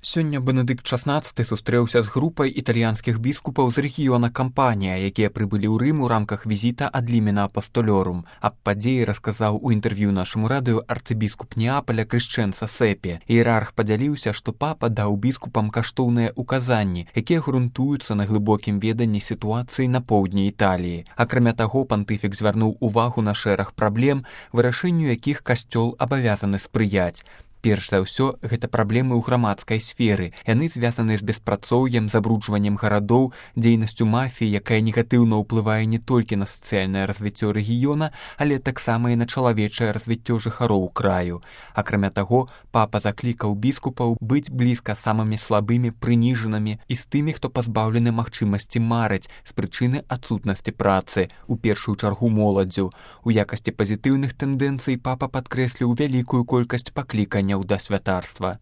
Сёння Бенедыкт XVI сустрэўся з групай італьянскіх біскупаў з рэгіёна Кампанія, якія прыбылі ў Рым у рамках візіта ад Лімена Апастолёрум. Аб падзеі расказаў у інтэрв'ю нашаму радыё арцыбіскуп Неапаля Крышчэнца Сэпе. Іерарх падзяліўся, што папа даў біскупам каштоўныя указанні, якія грунтуюцца на глыбокім веданні сітуацыі на поўдні Італіі. Акрамя таго, пантыфік звярнуў увагу на шэраг праблем, вырашэнню якіх касцёл абавязаны спрыяць. Перш за ўсё, гэта праблемы ў грамадскай сферы. Яны звязаны з беспрацоўем, забруджваннем гарадоў, дзейнасцю мафіі, якая негатыўна ўплывае не толькі на сацыяльнае развіццё рэгіёна, але таксама і на чалавечае развіццё жыхароў краю. Акрамя таго, папа заклікаў біскупаў быць блізка самымі слабымі, прыніжанымі і з тымі, хто пазбаўлены магчымасці марыць з прычыны адсутнасці працы, у першую чаргу моладдзю. У якасці пазітыўных тэндэнцый папа падкрэсліў вялікую колькасць пакліканняў да святарства.